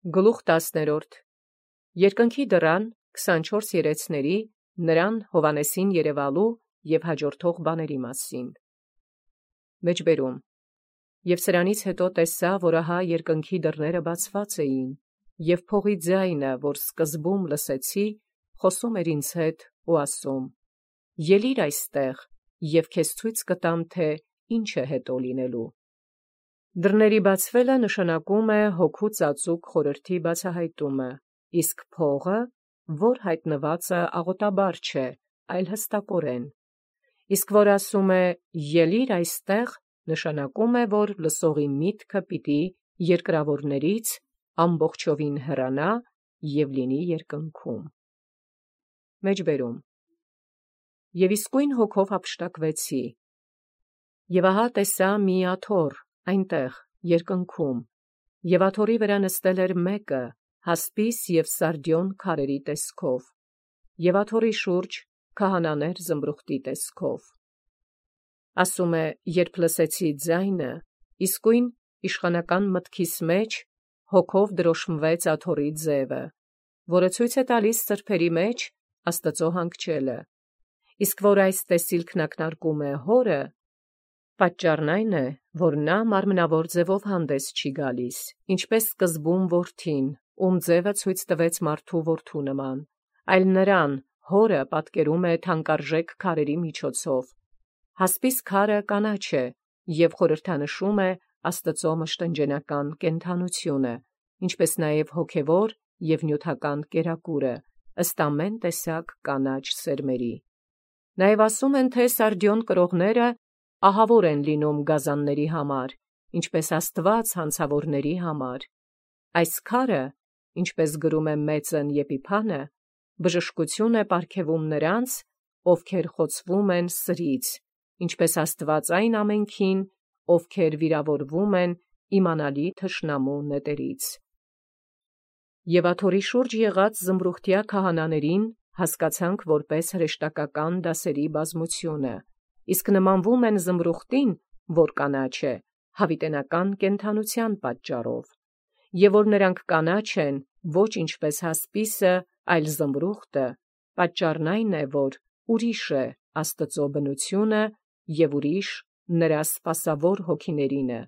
Գլուխ 10. Երկնքի դռան 24 երեցների նրան Հովանեսին երևալու և հաջորդող բաների մասին։ Մեջբերում. Եւ սրանից հետո տեսա, որ ահա երկնքի դռները բացված էին, և փողի ձայնը, որ սկզբում լսեցի, խոսում էր ինձ հետ ու ասում. Ելիր այստեղ, և քեզ ցույց կտամ, թե ինչ է հետո լինելու։ Դռների բացվելը նշանակում է հոգու ծածուկ խորհրդի բացահայտումը, իսկ փողը, որ հայտնված է աղոտաբար չէ, այլ հստակորեն։ Իսկ որ ասում է ելիր այստեղ, նշանակում է, որ լսողի միտքը պիտի երկրավորներից ամբողջովին հեռանա և լինի երկնքում։ Մեջբերում. Եվ իսկույն հոգով հափշտակվեցի, և ահա տեսա մի աթոռ այնտեղ երկնքում, և աթոռի վրա նստել էր մեկը, հասպիս և սարդիոն քարերի տեսքով, և աթոռի շուրջ քահանաներ զմրուխտի տեսքով։ Ասում է, երբ լսեցի ձայնը, իսկույն իշխանական մտքիս մեջ հոգով դրոշմվեց աթոռի ձևը, որը ցույց է տալիս սրբերի մեջ Աստծո հանգչելը, իսկ որ այս տեսիլքն ակնարկում է հորը, պատճառն այն է, որ նա մարմնավոր ձևով հանդես չի գալիս, ինչպես սկզբում որդին, ում ձևը ցույց տվեց մարդու որդու նման, այլ նրան հորը պատկերում է թանկարժեք քարերի միջոցով։ Հասպիս քարը կանաչ է և խորհրդանշում է Աստծո մշտնջենական կենդանությունը, ինչպես նաև հոգևոր և նյութական կերակուրը, ըստ ամեն տեսակ կանաչ սերմերի։ Նաև ասում են, թե սարդիոն կրողները ահավոր են լինում գազանների համար, ինչպես Աստված հանցավորների համար։ Այս քարը, ինչպես գրում է Մեծն Եփիփանը, բժշկություն է պարգևում նրանց, ովքեր խոցվում են սրից, ինչպես Աստված այն ամենքին, ովքեր վիրավորվում են իմանալի թշնամու նետերից։ Եվ աթոռի շուրջ եղած զմրուխտյա քահանաներին հասկացանք որպես հրեշտակական դասերի բազմությունը, իսկ նմանվում են զմրուխտին, որ կանաչ է, հավիտենական կենդանության պատճառով, և որ նրանք կանաչ են, ոչ ինչպես հասպիսը, այլ զմրուխտը, պատճառն այն է, որ ուրիշ է Աստծո բնությունը և ուրիշ նրա սպասավոր հոգիներինը,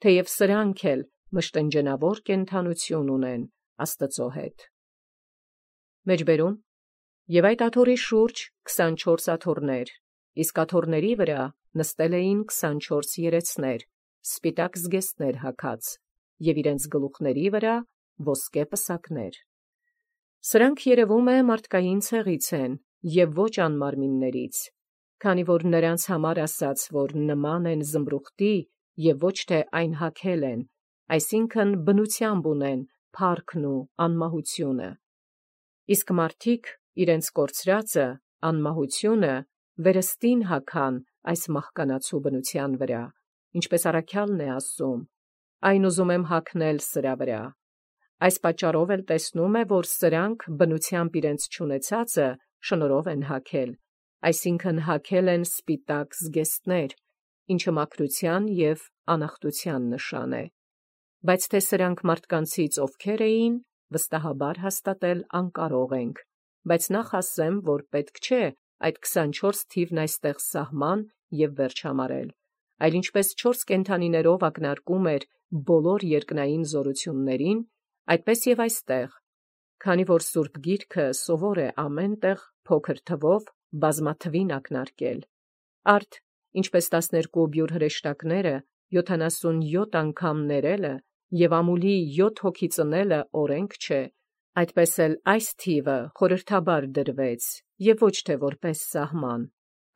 թեև սրանք էլ մշտնջենավոր կենդանություն ունեն Աստծո հետ։ Մեջբերում. Եվ այդ աթոռի շուրջ 24 աթոռներ, իսկ աթոռների վրա նստել էին 24 երեցներ, սպիտակ զգեստներ հագած, և իրենց գլուխների վրա ոսկե պսակներ։ Սրանք երևում է մարդկային ցեղից են և ոչ անմարմիններից, քանի որ նրանց համար ասաց, որ նման են զմրուխտի և ոչ թե այն հագել են, այսինքն բնությամբ ունեն փառքն ու անմահությունը։ Իսկ մարդիկ իրենց կորցրածը, անմահությունը, վերստին հագան այս մահկանացու բնության վրա, ինչպես առաքյալն է ասում. «Այն ուզում եմ հագնել սրա վրա»։ Այս պատճառով էլ տեսնում է, որ սրանք բնությամբ իրենց չունեցածը շնորհով են հագել, այսինքն հագել են սպիտակ զգեստներ, ինչը մաքրության և անախտության նշան է։ Բայց թե սրանք մարդկանցից ովքեր էին, վստահաբար հաստատել անկարող ենք, բայց նախ ասեմ, որ պետք չէ այդ 24 թիվն այստեղ սահման և վերջ համարել, այլ ինչպես 4 կենդանիներով ակնարկում էր բոլոր երկնային զորություններին, այդպես և այստեղ, քանի որ Սուրբ Գիրքը սովոր է ամեն տեղ փոքր թվով բազմաթվին ակնարկել։ Արդ ինչպես 12 բյուրը հրեշտակները 77 անգամ ներելը և ամուլի 7 հոգի ծնելը օրենք չէ, այդպես էլ այս թիվը խորհրդաբար դրվեց և ոչ թե որպես սահման,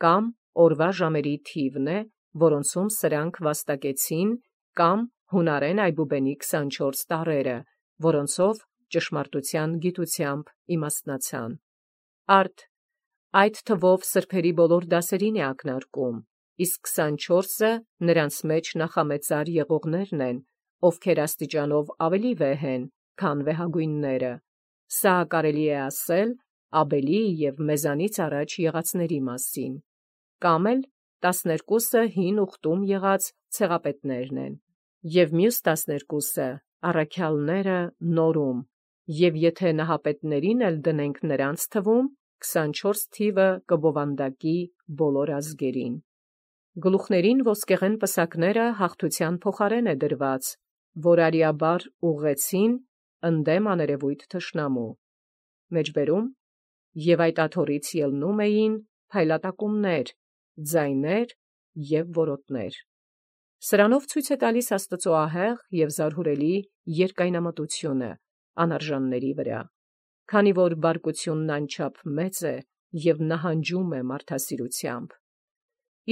կամ օրվա ժամերի թիվն է, որոնցում սրանք վաստակեցին, կամ հունարեն այբուբենի 24 տառերը, որոնցով ճշմարտության գիտությամբ իմաստնացան։ Արդ այդ թվով սրբերի բոլոր դասերին է ակնարկում, իսկ 24-ը նրանց մեջ նախամեծար եղողներն են, ովքեր աստիճանով ավելի վեհ են, քան վեհագույնները։ Սա կարելի է ասել Աբելի և մեզանից առաջ եղածների մասին։ Կամ էլ 12-ը հին ուխտում եղած ցեղապետներն են, և մյուս 12-ը առաքյալները նորում, եւ եթե նահապետներին էլ դնենք նրանց թվում, 24 թիվը կբովանդակի բոլոր ազգերին։ Գլուխներին ոսկեղեն պսակները հաղթության փոխարեն է դրված, որ արիաբար ուղղեցին ընդդեմ աներևույթ թշնամու։ Մեջբերում եւ այդ աթոռից ելնում էին փայլատակումներ, ձայներ եւ որոտներ։ Սրանով ցույց է տալիս Աստծո ահեղ եւ զարհուրելի երկայնամտությունը անարժանների վրա, քանի որ բարկությունն անչափ մեծ է եւ նահանջում է մարդասիրությամբ։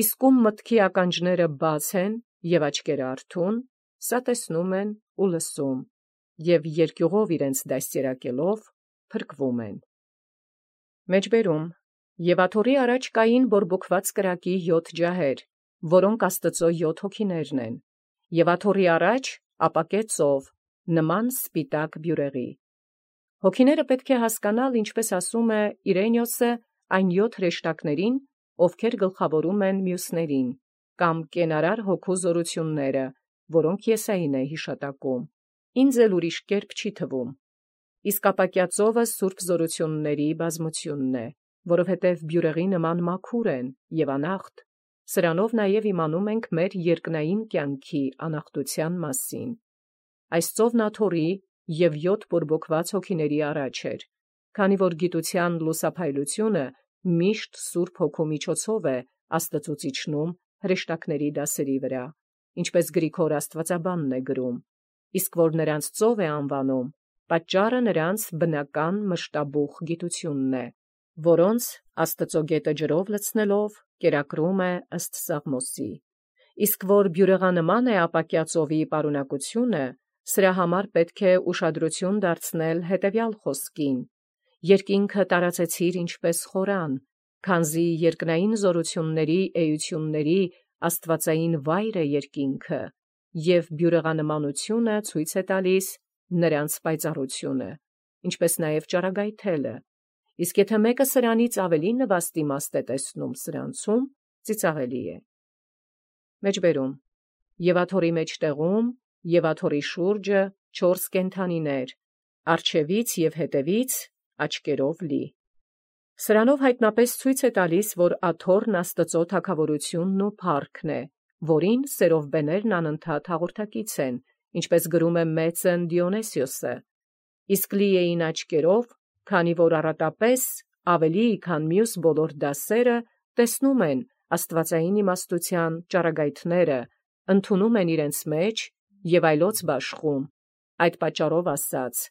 Իսկ ում մտքի ականջները բաց են եւ աչքերը արթուն, սա տեսնում են ու լսում, եւ երկյուղով իրենց դաստիարակելով փրկվում են։ Մեջբերում եւ աթոռի առաջ կային բորբոքված կրակի 7 ջահեր, որոնք Աստծո 7 հոգիներն են, եւ աթոռի առաջ ապակե ծով, նման սպիտակ բյուրեղի։ Հոգիները պետք է հասկանալ, ինչպես ասում է Իրենիոսը, այն 7 հրեշտակներին, ովքեր գլխավորում են մյուսներին, կամ կենարար հոգու զորությունները, որոնք Եսային է հիշատակում։ Ինձ էլ ուրիշ կերպ չի թվում։ Իսկ ապակյա ծովը սուրբ զորությունների բազմությունն է, որովհետև բյուրեղի նման մաքուր են եւ անախտ, սրանով նաև իմանում ենք մեր երկնային կյանքի անախտության մասին։ Այս ծովն աթոռի եւ 7 բորբոքված հոգիների առաջ էր, քանի որ գիտության լուսափայլությունը միշտ սուրբ հոգու միջոցով է Աստծուց իջնում հրեշտակների դասերի վրա, ինչպես Գրիգոր Աստվածաբանն է գրում, իսկ որ նրանց ծով է անվանում, պատճառը նրանց բնական մշտաբուխ գիտությունն է, որոնց Աստծո գետը ջրով լցնելով կերակրում է ըստ Սաղմոսի։ Իսկ որ բյուրեղանման է ապակյա ծովի պարունակությունը, սրա համար պետք է ուշադրություն դարձնել հետևյալ խոսքին. երկինքը տարածեցիր ինչպես խորան, քանզի երկնային զորությունների էությունների աստվածային վայր է երկինքը, եւ բյուրեղանմանությունը ցույց է տալիս նրանց պայծառությունը, ինչպես նաև ճառագայթելը, իսկ եթե մեկը սրանից ավելի նվաստ իմաստ է տեսնում սրանցում, ծիծաղելի է։ Մեջբերում եւ աթոռի մեջտեղում եւ աթոռի շուրջը 4 կենդանիներ, առջևից եւ հետևից աչքերով լի։ Սրանով հայտնապես ցույց է տալիս, որ աթոռն Աստծո թագավորությունն ու փառքն է, որին սերովբեներն անընդհատ հաղորդակից են, ինչպես գրում է մեծն Դիոնեսիոսը, իսկ լի էին աչքերով, քանի որ առատապես ավելի քան մյուս բոլոր դասերը տեսնում են աստվածային իմաստության ճառագայթները, ընդունում են իրենց մեջ եւ այլոց բաշխում, այդ պատճառով ասած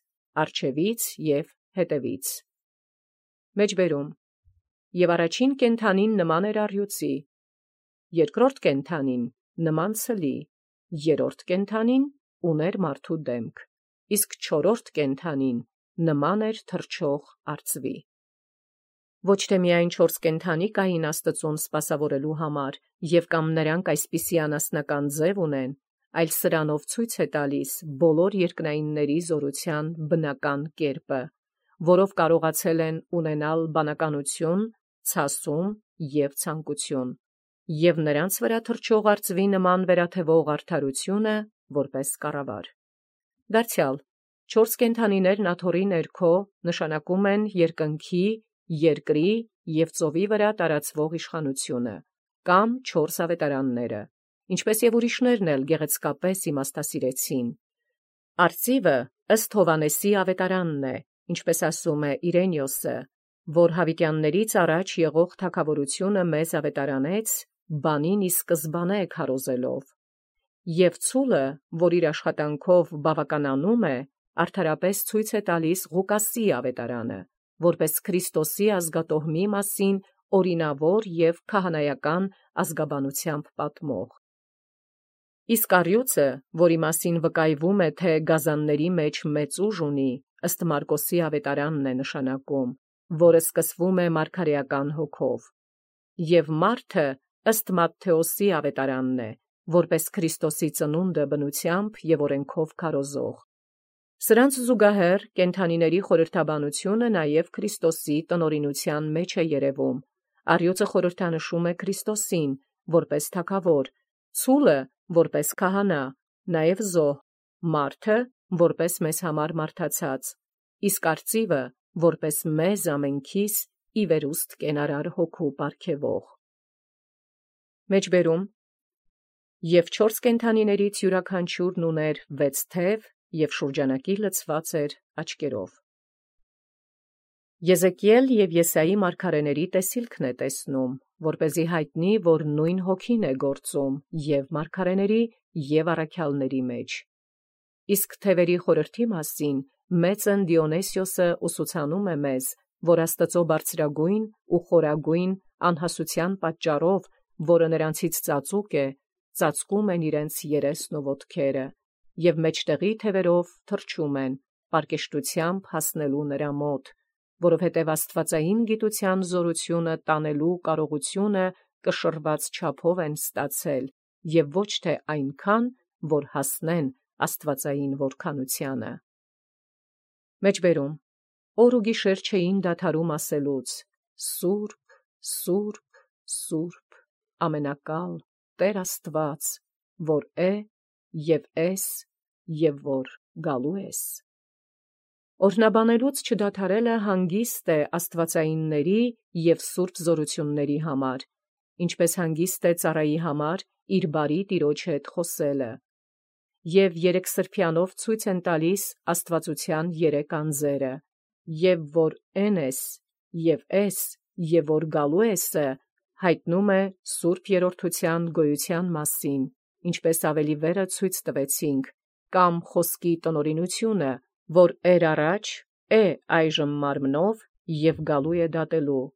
առջևից եւ հետևից։ Մեջբերում եւ առաջին կենդանին նման էր առյուծի, երկրորդ կենդանին նման ցլի, երրորդ կենդանին ուներ մարդու դեմք, իսկ չորրորդ կենդանին նման էր թռչող արծվի։ Ոչ թե միայն 4 կենդանի կային Աստծուն սպասավորելու համար, եւ կամ նրանք այսպիսի անասնական ձև ունեն, այլ սրանով ցույց է տալիս բոլոր երկնայինների զորության բնական կերպը, որով կարողացել են ունենալ բանականություն, ցասում եւ ցանկություն, եւ նրանց վրա թռչող արծվի նման վերաթևող արդարությունը որպես կառավար։ Դարձյալ 4 կենդանիներն աթոռի ներքո նշանակում են երկնքի, երկրի եւ ծովի վրա տարածվող իշխանությունը, կամ 4 ավետարանները, ինչպես եւ ուրիշներն էլ գեղեցկապես իմաստասիրեցին։ Արծիվը ըստ Հովանեսի ավետարանն է, ինչպես ասում է Իրենիոսը, որ հավիտյաններից առաջ եղող թագավորությունը մեզ ավետարանեց, բանին ի սկզբանե քարոզելով, եւ ցուլը, որ իր աշխատանքով բավականանում է, արդարապես ցույց է տալիս Ղուկասի ավետարանը, որպես Քրիստոսի ազգատոհմի մասին օրինավոր եւ քահանայական ազգաբանությամբ պատմող։ Իսկ առյուծը, որի մասին վկայվում է, թե գազանների մեջ մեծ ուժ ունի, ըստ Մարկոսի ավետարանն է նշանակում, որը սկսվում է մարգարեական հոգով, եւ մարդը ըստ Մատթեոսի ավետարանն է, որպես Քրիստոսի ծնունդը բնությամբ եւ օրենքով քարոզող։ Սրանց զուգահեռ կենդանիների խորհրդաբանությունը նաև Քրիստոսի տնօրինության մեջ է երևում։ Առյուծը խորհրդանշում է Քրիստոսին որպես թագավոր, ցուլը որպես քահանա, նաև զոհ, մարդը որպես մեզ համար մարդացած, իսկ արծիվը, որպես մեզ ամենքիս ի վերուստ կենարար հոգու պարգևող։ Մեջբերում և 4 կենդանիներից յուրաքանչյուրն ուներ 6 թև և շուրջանակի լցված էր աչքերով։ Եզեկիել և Եսայի մարգարեների տեսիլքն է տեսնում, որպեսզի հայտնի, որ նույն հոգին է գործում և մարգարեների և առաքյալների մեջ։ Իսկ թևերի խորհրդի մասին մեծն Դիոնիսիոսը ուսուցանում է մեզ, որ Աստծո բարձրագույն ու խորագույն անհասության պատճառով, որը նրանցից ծածուկ է, ծածկում են իրենց երեսն ու ոտքերը, և մեջտեղի թևերով թռչում են, պարկեշտությամբ հասնելու նրա մոտ, որովհետև աստվածային գիտության զորությունը տանելու կարողությունը կշռված չափով են ստացել, և ոչ թե այնքան, որ հասնեն աստվածային որքանությանը։ Մեջբերում օր ու գիշեր չէին դադարում ասելուց. «Սուրբ, Սուրբ, Սուրբ, ամենակալ Տեր Աստված, որ է և ես և որ գալու ես»։ Օրհնաբանելուց չդադարելը հանգիստ է աստվածայինների և սուրբ զորությունների համար, ինչպես հանգիստ է ծառայի համար իր բարի տիրոջ հետ խոսելը։ Եվ երեքսրբյանով ցույց են տալիս աստվածության 3 անձերը, և որ «Էն ես» և «Էս» և որ «Գալու ես»-ը հայտնում է սուրբ երրորդության գոյության մասին, ինչպես ավելի վերը ցույց տվեցինք, կամ խոսքի տնօրինությունը, որ էր առաջ, է այժմ մարմնով և գալու է դատելու,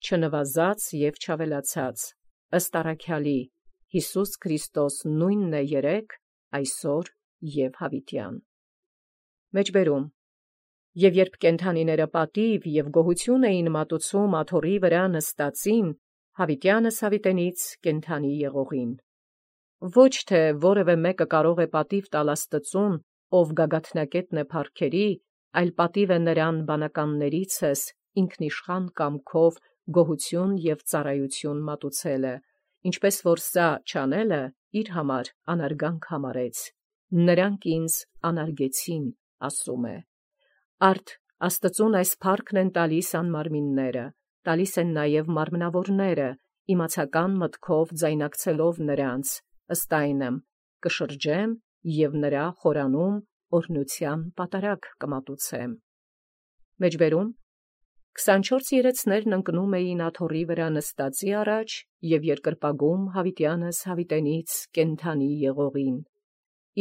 չնվազած և չավելացած, ըստ առաքյալի, Յիսուս Քրիստոս նույնն է երեկ, այսօր և հավիտյան։ Մեջբերում և երբ կենդանիները պատիվ և գոհություն էին մատուցում աթոռի վրա նստածին, հավիտյանս հավիտենից կենդանի եղողին։ Ոչ թե որևէ մեկը կարող է պատիվ տալ Աստծուն, ով գագաթնակետն է փառքերի, այլ պատիվ է նրան բանականներիցս ինքնիշխան կամքով գոհություն և ծառայություն մատուցելը, ինչպես որ սա չանելը իր համար անարգանք համարեց. «Նրանք ինձ անարգեցին», ասում է։ Արդ Աստծուն այս փառքն են տալիս անմարմինները, տալիս են նաև մարմնավորները, իմացական մտքով ձայնակցելով նրանց, ըստ այնմ կշրջեմ և նրա խորանում օրհնության պատարագ կմատուցեմ։ Մեջբերում 24 երեցներն ընկնում էին աթոռի վրա նստածի առաջ և երկրպագում հավիտյանս հավիտենից կենդանի եղողին։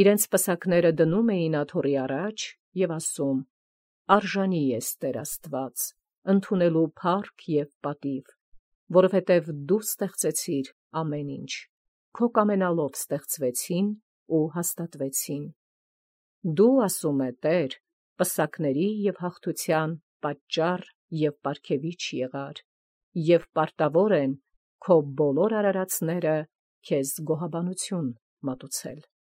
Իրենց պսակները դնում էին աթոռի առաջ և ասում. «Արժանի ես Տեր Աստված, ընդունելու փառք և պատիվ, որովհետև դու ստեղծեցիր ամեն ինչ, քո կամենալով ստեղծվեցին ու հաստատվեցին։ Դու, ասում է Տեր, պսակների և հաղթության պատճառ և պարգևիչ եղար, և պարտավոր են քո բոլոր արարածները քեզ գոհաբանություն մատուցել»։